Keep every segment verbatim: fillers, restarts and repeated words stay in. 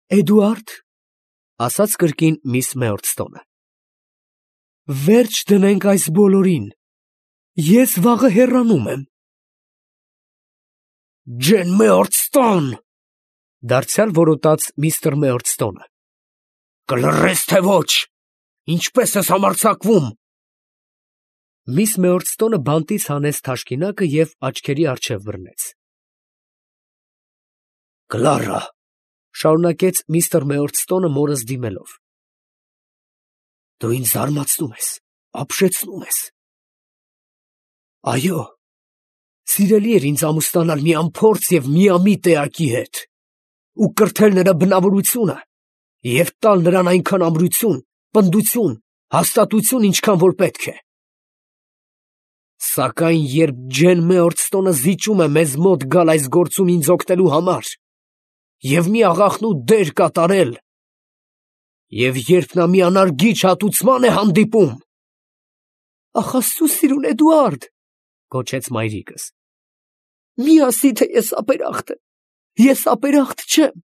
Էդուարդ, ասաց կրկին միս Մեորտստոնը, վերջ դնենք այս բոլորին, ես վաղը հեռանում եմ։ Ջեն Մեորտստոն, դարձյալ որոտաց միստր Մեորտստոնը, կլռես թե ոչ, ինչպես ես համարձակվում։ Միս Մեորտստոնը բանտից հանեց թաշկինակը և աչքերի առջև բռնեց։ Կլարա, շարունակեց միստր Մեորտստոնը մորս դիմելով, դու ինձ զարմացնում ես, ապշեցնում ես։ Այո, սիրելի էր ինձ ամուսնանալ մի անփորձ և միամիտ էակի հետ ու կրթել նրա բնավորությունը և տալ նրան այնքան ամրություն, պնդություն, հաստատություն, ինչքան որ պետք է։ Սակայն երբ Ջեն Մեորտստոնը զիջում է մեզ մոտ գալ այս գործում ինձ օգնելու համար և մի աղախնու դեր կատարել, և երբ նա մի անարգիչ հատուցման է հանդիպում… Ախ, Աստծու սիրուն Էդուարդ, գոչեց մայրիկս, մի ասի, թե ես ապերախտ եմ, ես ապերախտ չեմ,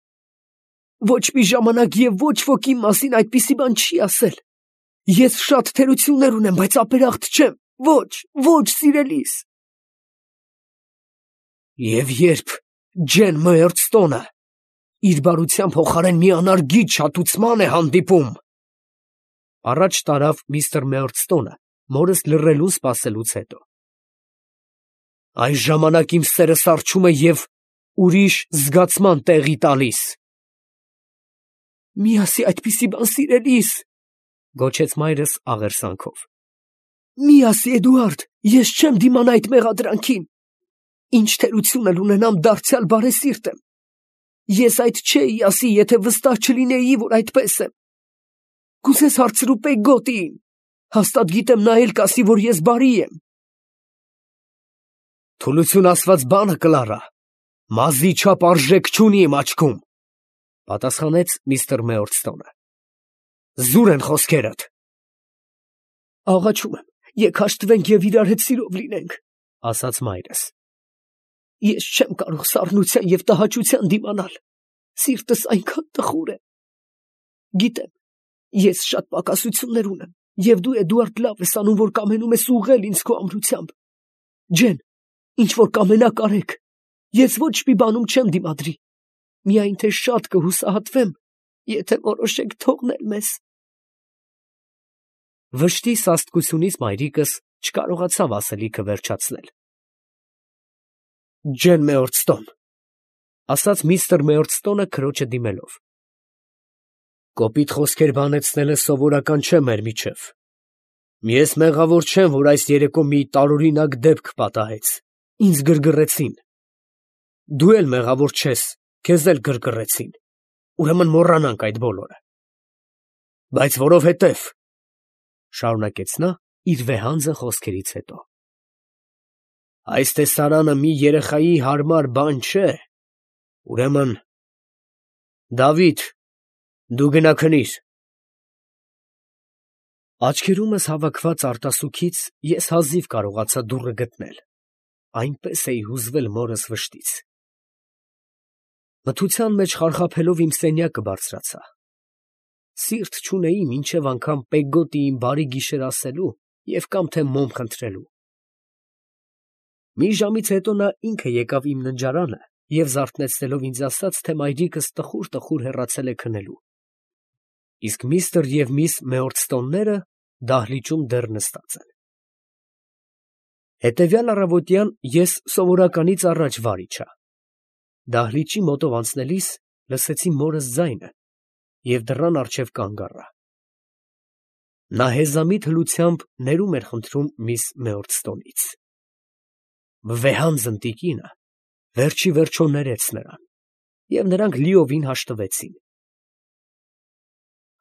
ոչ մի ժամանակ և ոչ ոք իմ մասին այդպիսի բան չի ասել, ես շատ թերություններ ունեմ, բայց ապերախտ չեմ, ոչ, ոչ, սիրելիս։ Եվ երբ Ջեն Մեորտստոնը իր բարության փոխարեն մի անարգիչ հատուցման է հանդիպում… Առաջ տարավ միստր Մեորտստոնը, մորս լռելուն սպասելուց հետո… Այս ժամանակ իմ սերը սառչում է և ուրիշ զգացման տեղի տալիս։ Մի ասի այդպիսի բան, սիրելիս, գոչեց մայրս աղերսանքով, մի ասի, Էդուարդ, ես չեմ դիմանա այդ մեղադրանքին, ինչ թերություն էլ ունենամ, դարձյալ բարեսիրտ եմ, ես այդ չէի ասի, եթե վստահ չլինեի, որ այդպես եմ, կուզես հարցրու Պեգգոտիին, հաստատ գիտեմ նա էլ կասի, որ ես բարի եմ։ Թուլություն ասված բանը, Կլարա, մազի չափ արժեք չունի իմ աչքում, պատասխանեց միստր Մեորտստոնը։ Զուր են խոսքերդ։ Աղաչում եմ, եկ հաշտվենք և իրար հետ սիրով լինենք, ասաց մայրս։ Ես չեմ կարող սառնության և տհաճության դիմանալ, սիրտս այնքան տխուր է։ Գիտեմ, ես շատ պակասություններ ունեմ, և դու, Էդուարդ, լավ ես անում, որ կամենում ես ուղղել ինձ քո ամրությամբ։ Ջեն, ինչ որ կամենաք արեք, ես ոչ մի բանում չեմ դիմադրի, միայն թե շատ կհուսահատվեմ, եթե որոշեք թողնել մեզ։ Վշտի սաստկությունից մայրիկս չկարողացավ ասելիքը վերջացնել։ Ջեն Մեորտստոն, ասաց միստր Մեորտստոնը քրոջը դիմելով, կոպիտ խոսքեր բանեցնելը սովորական չէ մեր միջև։ Ես մեղավոր չեմ, որ այս երեկո մի տարօրինակ դեպք պատահեց, ինձ գրգռեցին։ Դու էլ մեղավոր չես, քեզ էլ գրգռեցին, ուրեմն մոռանանք այդ բոլորը։ Բայց որովհետև, շարունակեց նա իր վեհանձը խոսքերից հետո, այս տեսարանը մի երեխայի հարմար բան չէ, ուրեմն… Դավիթ, դու գնա քնիր։ Աչքերումս հավաքված արտասուքից ես հազիվ կարողացա դուռը գտնել, այնպես էի հուզվել մորս վշտից։ Մթության մեջ խարխափելով իմ սենյակը բարձրացա։ Սիրտ չունեի մինչև անգամ Պեգգոտիին բարի գիշեր ասելու և կամ թե մոմ խնդրելու։ Մի ժամից հետո նա ինքը եկավ իմ ննջարանը և զարթնեցնելով ինձ ասաց, թե մայրիկս տխուր֊տխուր հեռացել է քնելու, իսկ միստր և միս Մեորտստոնները դահլիճում դեռ նստած են։ Հետևյալ առավոտյան ես սովորականից առաջ վար իջա։ Դահլիճի մոտով անցնելիս լսեցի մորս ձայնը և դռան առջև կանգ առա։ Նա հեզամիտ հլությամբ ներում էր խնդրում միս Մեորտստոնից։ Վեհանձն տիկինը վերջի վերջո ներեց նրան, և նրանք լիովին հաշտվեցին։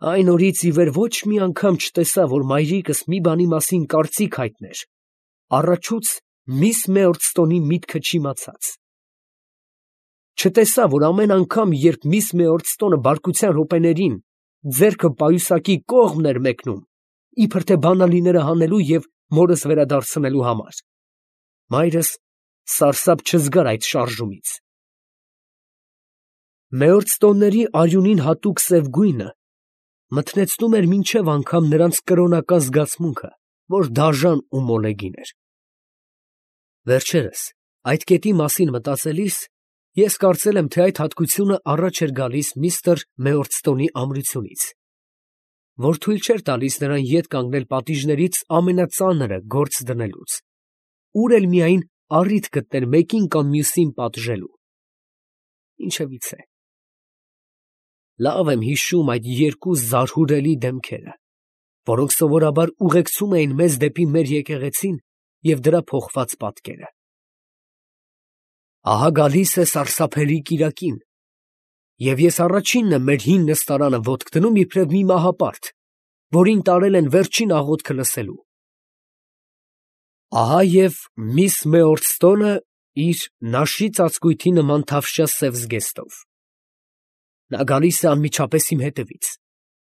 Այն օրից ի վեր ոչ մի անգամ չտեսա, որ մայրիկս մի բանի մասին կարծիք հայտներ, առաջուց միս Մեորտստոնի միտքը չիմացած։ Չտեսա, որ ամեն անգամ, երբ միս Մեորտստոնը բարկության րոպեներին ձեռքը պայուսակի կողմն էր մեկնում, իբր թե բանալիները հանելու և մորս վերադարձնելու համար, մայրս սարսափ չզգար այդ շարժումից։ Մեյորստոնների արյունին հատուկ սև գույնը մթնեցնում էր մինչև անգամ նրանց կրոնական զգացմունքը, որ դաժան ու մոլեգին էր։ Վերջերս այդ կետի մասին մտածելիս ես կարծել եմ, թե այդ հատկությունը առաջ էր գալիս միստր Մեյորստոնի ամրությունից, որ թույլ չէր տալիս նրան ետ կանգնել պատիժներից ամենածանրը գործ դնելուց, ուր էլ միայն առիթ գտներ մեկին կամ մյուսին պատժելու։ Ինչևիցե, լավ եմ հիշում այդ երկու զարհուրելի դեմքերը, որոնք սովորաբար ուղեկցում էին մեզ դեպի մեր եկեղեցին և դրա փոխված պատկերը։ Ահա գալիս է սարսափելի կիրակին, և ես առաջինն եմ մեր հին նստարանը ոտք դնում իբրև մի մահապարտ, որին տարել են վերջին աղոթքը լսելու։ Ահա և միս Մեյորստոնը իր նաշի ծածկույթի նման թավշյա սև զգեստով։ Նա գալիս է անմիջապես իմ հետևից,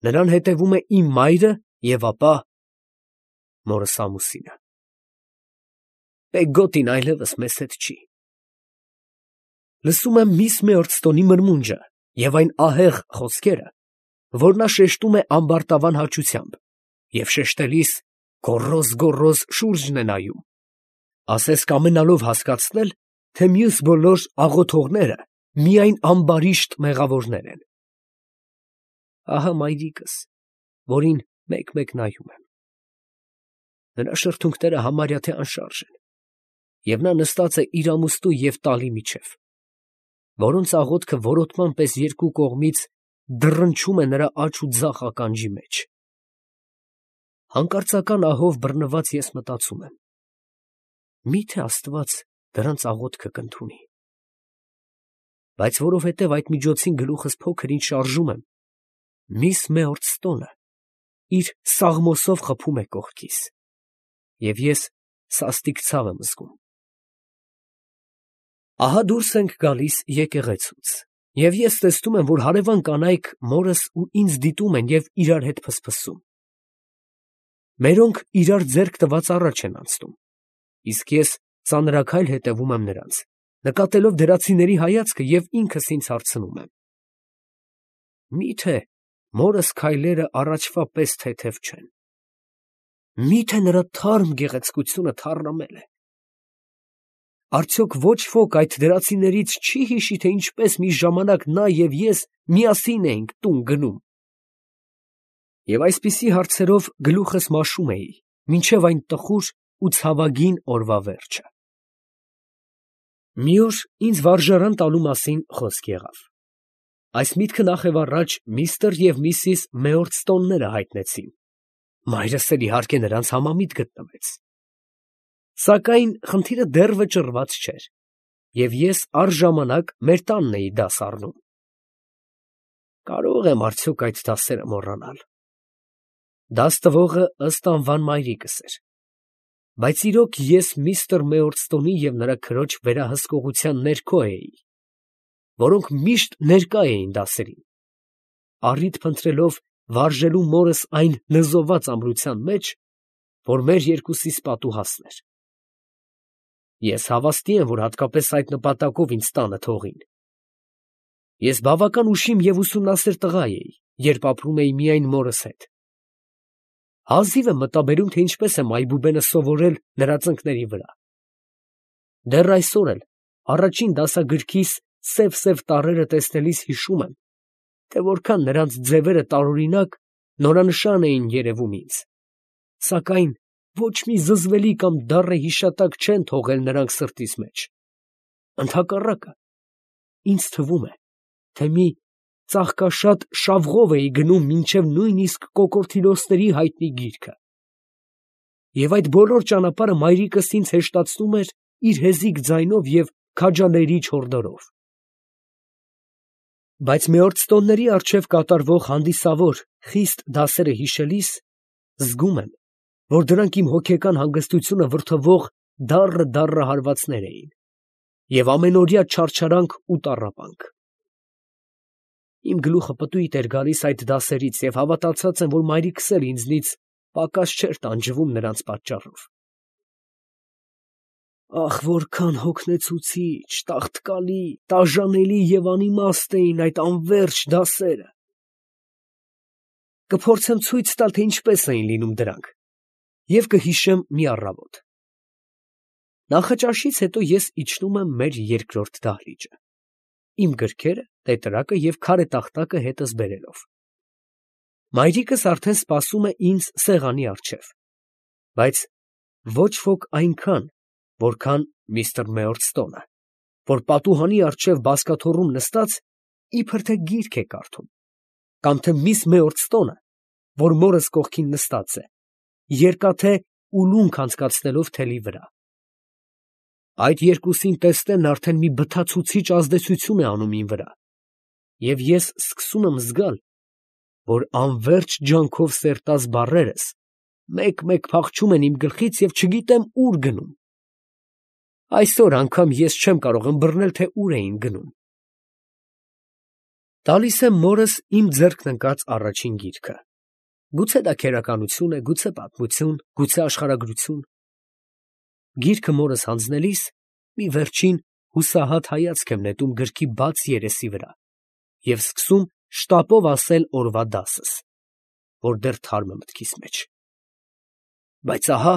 նրան հետևում է իմ մայրը և ապա մորս ամուսինը։ Պեգգոտին այլևս մեզ հետ չի։ Լսում եմ միս Մեյորստոնի մրմունջը և այն ահեղ խոսքերը, որ նա շեշտում է ամբարտավան հաճությամբ և շեշտելիս գոռոզ֊գոռոզ շուրջն է նայում, ասես կամենալով հասկացնել, թե մյուս բոլոր աղոթողները միայն ամբարիշտ մեղավորներ են։ Ահա մայրիկս, որին մեկ֊մեկ նայում եմ։ Նրա շրթունքները համարյա թե անշարժ են, և նա նստած է իր ամուստու և տալի միջև, որոնց աղոթքը որոտման պես երկու կողմից դռնչում է նրա աջ ու ձախ ականջի մեջ։ Հանկարծական ահով բռնված ես մտածում եմ. մի՞թե Աստված դրանց աղոթքը կընդունի։ Բայց որովհետև այդ միջոցին գլուխս փոքր ինչ շարժում եմ, միս Մեյորստոնը իր սաղմոսով խփում է կողքիս, և ես սաստիկ ցավ եմ զգում։ Ահա դուրս ենք գալիս եկեղեցուց, և ես տեսնում եմ, որ հարևան կանայք մորս ու ինձ դիտում են և իրար հետ փսփսում։ Մերոնք իրար ձեռք տված առաջ են անցնում, իսկ ես ծանրաքայլ հետևում եմ նրանց, նկատելով դրացիների հայացքը և ինքս ինձ հարցնում եմ. մի՞թե մորս քայլերը առաջվա պես թեթև չեն։ Մի՞թե նրա թարմ գեղեցկությունը թառամել է։ Արդյոք ոչ ոք այդ դրացիներից չի հիշի, թե ինչպես մի ժամանակ նա և ես միասին էինք տուն գնում։ Եվ այսպիսի հարցերով գլուխս մաշում էի, մինչև այն տխուր ու ցավագին օրվա վերջը։ Մի օր ինձ վարժարան տալու մասին խոսք եղավ։ Այս միտքը նախևառաջ միստր և միսիս Մեյորստոնները հայտնեցին, մայրս էլ իհարկե նրանց համամիտ գտնվեց։ Սակայն խնդիրը դեռ վճռված չէր, և ես առժամանակ մեր տանն էի դաս առնում։ Կարո՞ղ եմ արդյոք այդ դասերը մոռանալ։ Դաս տվողը ըստ անվան մայրիկս էր, բայց իրոք ես միստր Մեյորստոնի և նրա քրոջ վերահսկողության ներքո էի, որոնք միշտ ներկա էին դասերին, առիթ փնտրելով վարժելու մորս այն նզովված ամրության մեջ, որ մեր երկուսիս պատուհասն էր։ Ես հավաստի եմ, որ հատկապես այդ նպատակով ինձ տանը թողին։ Ես բավական ուշիմ և ուսումնասեր տղա էի, երբ ապրում էի միայն մորս հետ։ Հազիվ եմ մտաբերում, թե ինչպես եմ այբուբենը սովորել նրա ծնկների վրա։ Դեռ այսօր էլ առաջին դասագրքիս սև֊սև տառերը տեսնելիս հիշում եմ, թե որքան նրանց ձևերը տարօրինակ, նորանշան էին երևում ինձ, սակայն ոչ մի զզվելի կամ դառը հիշատակ չեն թողել նրանք սրտիս մեջ։ Ընդհակառակը, ինձ թվում է, թե մի ծաղկաշատ շավղով էի գնում մինչև նույնիսկ կոկորդիլոսների հայտնի գիրքը։ Եվ այդ բոլոր ճանապարհը մայրիկս ինձ հեշտացնում էր իր հեզիկ ձայնով և քաջալերիչ հորդորով։ Բայց Մեյորստոնների առջև կատարվող հանդիսավոր խիստ դասերը հիշելիս զգում եմ, որ դրանք իմ հոգեկան հանգստությունը վրդովող դառը֊դառը հարվածներ էին և ամենօրյա չարչարանք ու տառապանք։ Իմ գլուխը պտույտ էր գալիս այդ դասերից և հավատացած եմ, որ մայրիկս էլ ինձնից պակաս չէր տանջվում նրանց պատճառով։ Ախ, որքան հոգնեցուցիչ, տաղտկալի, տաժանելի և անիմաստ էին այդ անվերջ դասերը։ Կփորձեմ ցույց տալ, թե ինչպես էին լինում դրանք, և կհիշեմ մի առավոտ։ Նախաճաշից հետո ես իջնում եմ մեր երկրորդ դահլիճը, իմ գրքերը, տետրակը և քարե տախտակը հետս բերելով։ Մայրիկս արդեն սպասում է ինձ սեղանի առջև, բայց ոչ ոք այնքան, որքան միստր Մեյորստոնը, որ պատուհանի առջև բազկաթոռում նստած իբր թե գիրք է կարդում, կամ թե միս Մեյորստոնը, որ մորս կողքին նստած է, երկաթե ուլունք անցկացնելով թելի վրա։ Այդ երկուսին տեսնելն արդեն մի բթացուցիչ ազդեցություն է անում իմ վրա, և ես սկսում եմ զգալ, որ անվերջ ջանքով սերտած բառերս մեկ֊մեկ փախչում են իմ գլխից և չգիտեմ ուր գնում։ Այսօր անգամ ես չեմ կարող ըմբռնել, թե ուր էին գնում։ Տալիս եմ մորս իմ ձեռքն ընկած առաջին գիրքը, գուցե դա քերականություն է, գուցե պատմություն, գուցե աշխարհագրություն։ Գիրքը մորս հանձնելիս մի վերջին հուսահատ հայացք եմ նետում գրքի բաց երեսի վրա և սկսում շտապով ասել օրվա դասս, որ դեռ թարմ է մտքիս մեջ։ Բայց ահա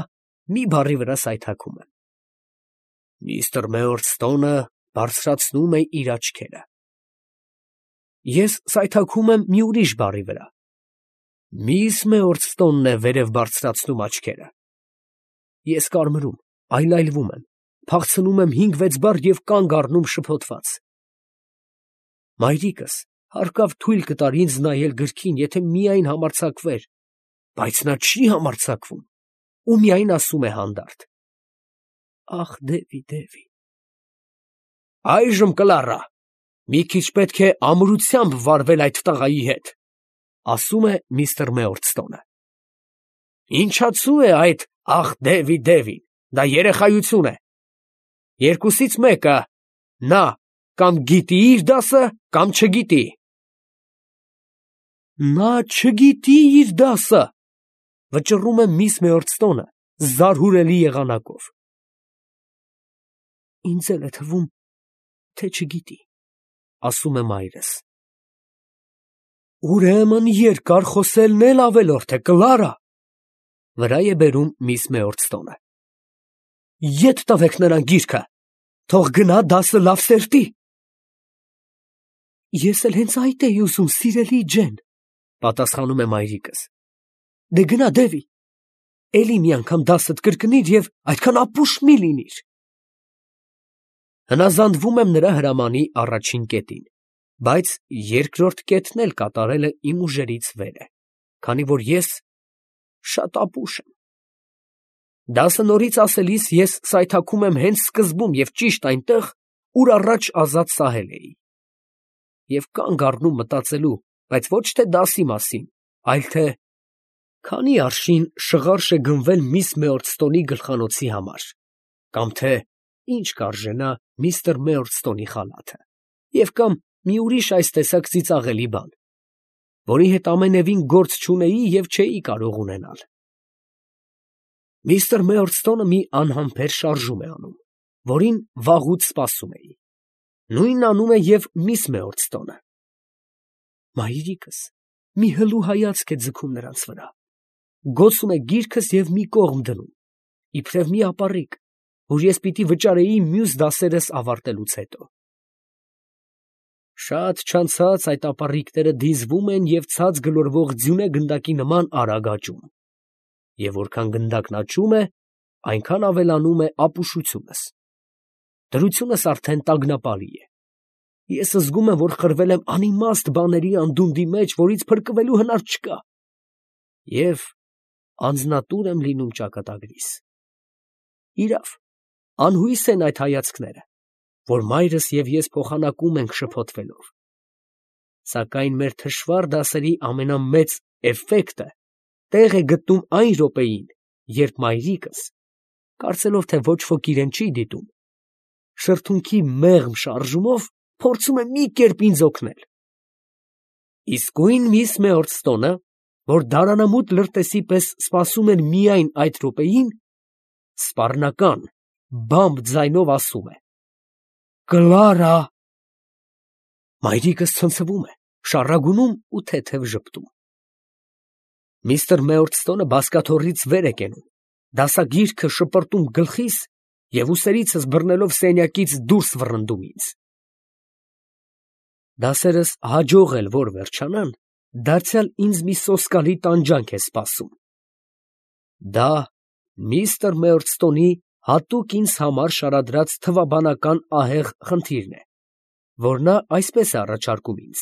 մի բառի վրա սայթաքում եմ. միստր Մեյորստոնը բարձրացնում է իր աչքերը։ Ես սայթաքում եմ մի ուրիշ բառի վրա. միս Մեյորստոնն է վերև բարձրացնում աչքերը։ Ես կարմրում, այլայլվում եմ, փախցնում եմ հինգ֊վեց բառ և կանգ առնում շփոթված։ Մայրիկս հարկավ թույլ կտար ինձ նայել գրքին, եթե միայն համարձակվեր, բայց նա չի համարձակվում ու միայն ասում է հանդարտ. «Ախ, Դևի, Դևի»։ «Այժմ, Կլարա, մի քիչ պետք է ամրությամբ վարվել այդ տղայի հետ», ասում է միստր Մեյորստոնը։ «Ինչացու է այդ «ախ, Դևի, Դևին», դա երեխայություն է։ Երկուսից մեկը, նա կամ գիտի իր դասը, կամ չգիտի»։ «Նա չգիտի իր դասը», վճռում է միս Մեյորստոնը զարհուրելի եղանակով։ «Ինձ էլ է թվում, թե չգիտի», ասում է մայրս։ «Ուրեմն երկար խոսելն էլ ավելորդ է, Կլարա», վրա է բերում միս Մեյորստոնը։ «Ետ տվեք նրան գիրքը, թող գնա դասը լավ սերտի»։ «Ես էլ հենց այդ էի ուզում, սիրելի ջեն», պատասխանում է մայրիկս։ «Դե գնա, Դևի, էլի մի անգամ դասդ կրկնիր և այդքան ապուշ մի լինիր»։ Հնազանդվում եմ նրա հրամանի առաջին կետին, բայց երկրորդ կետն էլ կատարելը իմ ուժերից վեր է, քանի որ ես շատ ապուշ եմ։ Դասը նորից ասելիս ես սայթաքում եմ հենց սկզբում և ճիշտ այնտեղ, ուր առաջ ազատ սահել էի, և կանգ առնում մտածելու, բայց ոչ թե դասի մասին, այլ թե քանի արշին շղարշ է գնվել միս Մեյորստոնի գլխանոցի համար, կամ թե ինչ կարժենա միստր Մեյորստոնի խալաթը, և կամ մի ուրիշ այս տեսակ ծիծաղելի բան, որի հետ ամենևին գործ չունեի և չէի կարող ունենալ։ Միստր Մեյորստոնը մի անհամբեր շարժում է անում, որին վաղուց սպասում էի։ Նույնն անում է և միս Մեյորստոնը։ Մայրիկս մի հլու հայացք է ձգում նրանց վրա, գոցում է գիրքս և մի կողմ դնում, իբրև մի ապառիկ, որ ես պիտի վճարեի մյուս դասերս ավարտելուց հետո։ Շատ չանցած այդ ապառիկները դիզվում են և ցած գլորվող ձյունե գնդակի նման արագ աճում, և որքան գնդակն աճում է, այնքան ավելանում է ապուշությունս։ Դրությունս արդեն տագնապալի է։ Ես զգում եմ, որ խրվել եմ անիմաստ բաների անդունդի մեջ, որից փրկվելու հնար չկա, և անձնատուր եմ լինում ճակատագրիս։ Իրավ, անհույս են այդ հայացքները, որ մայրս և ես փոխանակում ենք շփոթվելով։ Սակայն մեր թշվառ դասերի ամենամեծ էֆեկտը տեղ է գտնում այն րոպեին, երբ մայրիկս, կարծելով, թե ոչ ոք իրեն չի դիտում, շրթունքի մեղմ շարժումով փորձում է մի կերպ ինձ օգնել։ Իսկույն միս Մեյորստոնը, որ դարանամուտ լրտեսի պես սպասում էր միայն այդ րոպեին, սպառնական, բամբ ձայնով ասում է. «Կլարա»։ Մայրիկս ցնցվում է, շառագունում ու թեթև ժպտում։ Միստր Մեորդստոնը բազկաթոռից վեր է կենում, դասագիրքը շպրտում գլխիս և ուսերիցս բռնելով սենյակից դուրս վռնդում ինձ։ Դասերս հաջող էլ որ վերջանան, դարձյալ ինձ մի սոսկալի տանջանք է սպասում։ Դա միստր Մեորդստոնի հատուկ ինձ համար շարադրած թվաբանական ահեղ խնդիրն է, որ նա այսպես է առաջարկում ինձ.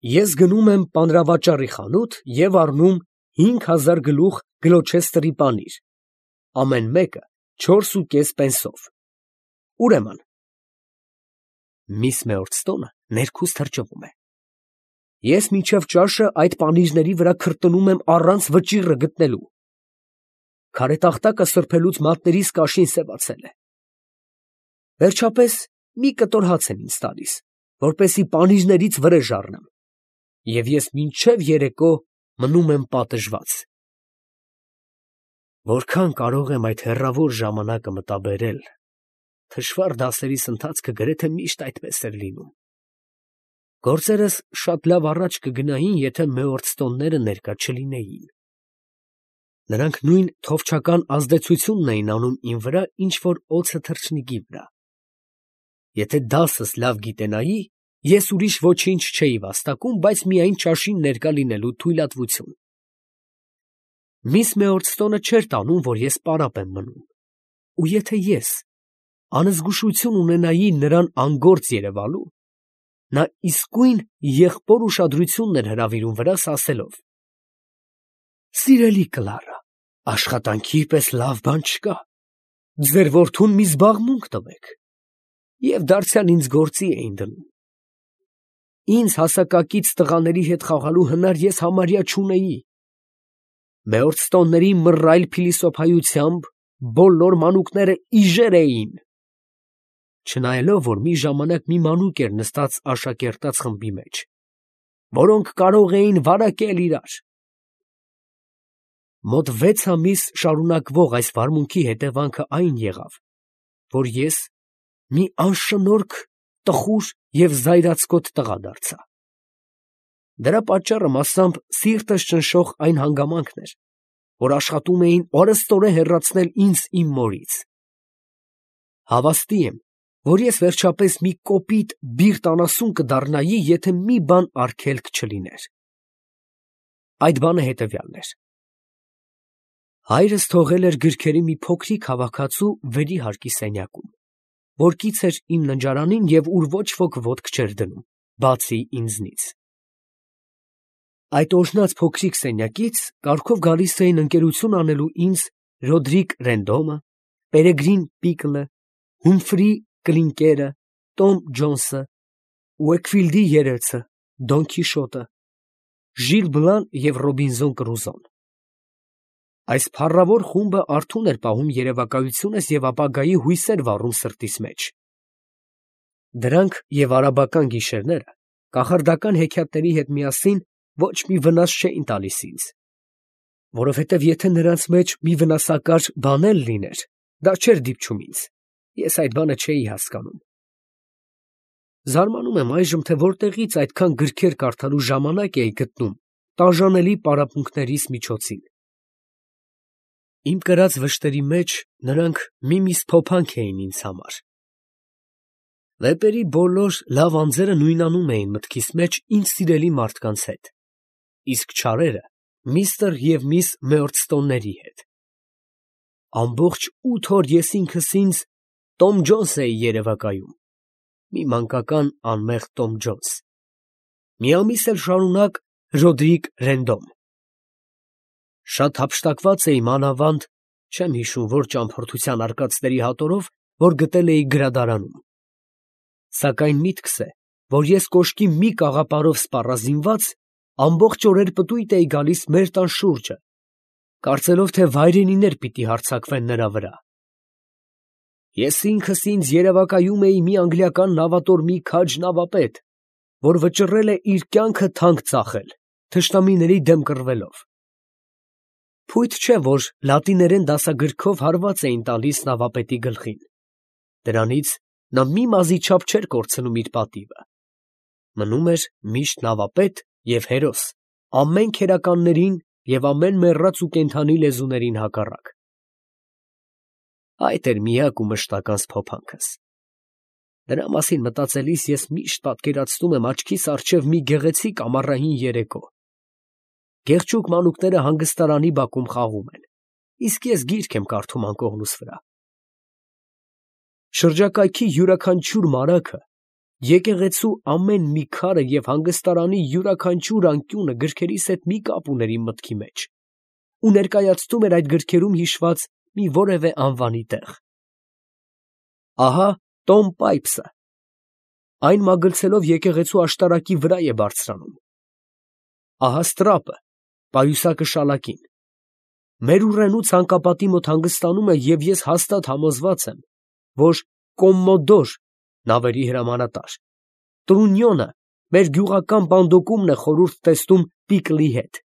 ես գնում եմ պանրավաճառի խանութ և առնում հինգ հազար գլուխ Գլոչեսթերի պանիր, ամեն մեկը չորս ու կես պենսով։ Ուրեմն, միս Մեորդստոնը ներքուս թրջվում է։ Ես մինչև ճաշը այդ պանիրների վրա քրտնում եմ առանց վճիռը գտնելու։ Քարետախտակը սրբելուց մատներիս կաշին սևացել է։ Վերջապես մի կտոր հաց են ինձ տալիս, որպեսզի պանիրներից վրեժ առնեմ, և ես մինչև երեկո մնում եմ պատժված։ Որքան կարող եմ այդ հեռավոր ժամանակը մտաբերել, թշվառ դասերիս ընթացքը գրեթե միշտ այդպես էր լինում։ Գործերս շատ լավ առաջ կգնային, եթե Մեորդստոնները ներկա չլինեին։ Նրանք նույն թովչական ազդեցությունն էին անում իմ վրա, ինչ որ օձը թռչնիկի վրա։ Եթե դասս լավ գիտենայի, ես ուրիշ ոչինչ չէի վաստակում, բայց միայն ճաշին ներկա լինելու թույլատվություն։ Միս Մեորդստոնը չէր տանում, որ ես պարապ եմ մնում, ու եթե ես անզգուշություն ունենայի նրան անգործ երևալու, նա իսկույն եղբոր ուշադրությունն էր հրավիրում վրաս, ասելով. «Սիրելի Կլարա, աշխատանքի պես լավ բան չկա, ձեր որդուն մի զբաղմունք տվեք», և դարձյալ ինձ գործի էին դնում։ Ինձ հասակակից տղաների հետ խաղալու հնար ես համարյա չունեի։ Մեորդստոնների մռայլ փիլիսոփայությամբ բոլոր մանուկները իժեր էին։ Չնայելով, որ մի ժամանակ մի մանուկ էր նստած աշակերտած խմբի մեջ, որոնք կարող էին վարակել իրար։ Մոտ վեց ամիս շարունակվող այս վարմունքի հետևանքը այն եղավ, որ ես մի անշնորհք, տխուր և զայրացկոտ տղա դարձա։ Դրա պատճառը մասամբ սիրտս ճնշող այն հանգամանքն էր, որ աշխատում էին օրըստօրե հեռացնել ինձ իմ մորից։ Հավաստի եմ, որ ես վերջապես մի կոպիտ բիրտ անասուն կդառնայի, եթե մի բան արգելք չլիներ։ Այդ բանը հետևյալն էր. հայրս թողել էր գրքերի մի փոքրիկ հավաքածու վերի հարկի սենյակում, որ կից էր իմ ննջարանին և ուր ոչ ոք ոտք չէր դնում, բացի ինձնից։ Այդ օրհնած փոքրիկ սենյակից կարգով գալիս էին ընկերություն անելու ինձ Ռոդրիկ Ռենդոմը, Պերեգրին Պիկլը, Հումֆրի Կլինկերը, Տոմ Ջոնսը, Ուեքֆիլդի երեծը, Դոն Քիշոտը, Ժիլ Բլան և Ռոբինզոն Կրուզոն։ Այս փառավոր խումբը արթուն էր պահում երևակայությունս և ապագայի հույսեր վառում սրտիս մեջ։ Դրանք և արաբական գիշերները կախարդական հեքիաթների հետ միասին ոչ մի վնաս չէին տալիս ինձ, որովհետև եթե նրանց մեջ մի վնասակար բան էլ լիներ, դա չէր դիպչում ինձ, ես այդ բանը չէի հասկանում։ Զարմանում եմ այժմ, թե որտեղից այդքան գրքեր կարդալու ժամանակ էի գտնում տաժանելի պարապմունքներիս միջոցին։ Իմ կրած վշտերի մեջ նրանք մի-միս փոփանք էին ինձ համար։ Վեպերի բոլոր լավ անձերը նույնանում էին մտքիս մեջ ինձ սիրելի մարդկանց հետ, իսկ չարերը միստր և միս Մեորդստոնների հետ։ Ամբողջ ութ օր ես ինքս ինձ Տոմ Ջոնս էի երևակայում, մի մանկական անմեղ Տոմ Ջոնս, մի ամիս էլ շարունակ Ռոդրիկ Ռենդոմ։ Շատ հափշտակված էի մանավանդ, չեմ հիշում որ ճամփորդության արկածների հատորով, որ գտել էի գրադարանում։ Սակայն միտքս է, որ ես կոշկի մի կաղապարով սպառազինված, ամբողջ օրեր պտույտ էի գալիս մեր տան շուրջը, կարծելով, թե վայրենիներ պիտի հարձակվեն նրա վրա։ Ես ինքս ինձ երևակայում էի մի անգլիական նավատորմի քաջ նավապետ, որ վճռել է իր կյանքը թանկ ծախել, թշնամիների դեմ կռվելով։ Փույթ չէ, որ լատիներեն դասագրքով հարված էին տալիս նավապետի գլխին. դրանից նա մի մազի չափ չէր կորցնում իր պատիվը. մնում էր միշտ նավապետ և հերոս, ամեն քերականներին և ամեն մեռած ու կենդանի լեզուներին հակառակ։ Այդ էր միակ ու մշտական սփոփանքս։ Դրա մասին մտածելիս ես միշտ պատկերացնում եմ աչքիս առջև մի գեղեցիկ ամառային երեկո. գեղջուկ մանուկները հանգստարանի բակում խաղում են, իսկ ես գիրք եմ կարդում անկողնուս վրա։ Շրջակայքի յուրաքանչյուր մարագը, եկեղեցու ամեն մի քարը և հանգստարանի յուրաքանչյուր անկյունը գրքերիս հետ մի կապ ուներ իմ մտքի մեջ ու ներկայացնում էր այդ գրքերում հիշված մի որևէ անվանի տեղ։ Ահա Տոմ Պայփսը, այն մագլցելով եկեղեցու աշտարակի վրա է բարձրանում։ Ահա Ստրափը, պայուսակը շալակին։ Մեր ուռենու ցանկապատի մոտ հանգստանում է և ես հաստատ համոզված եմ, որ Կոմմոդոր (նավերի հրամանատար) Տրունյոնը մեր գյուղական բանդոկումն է խորհուրդ տեսնում Պիկլի հետ։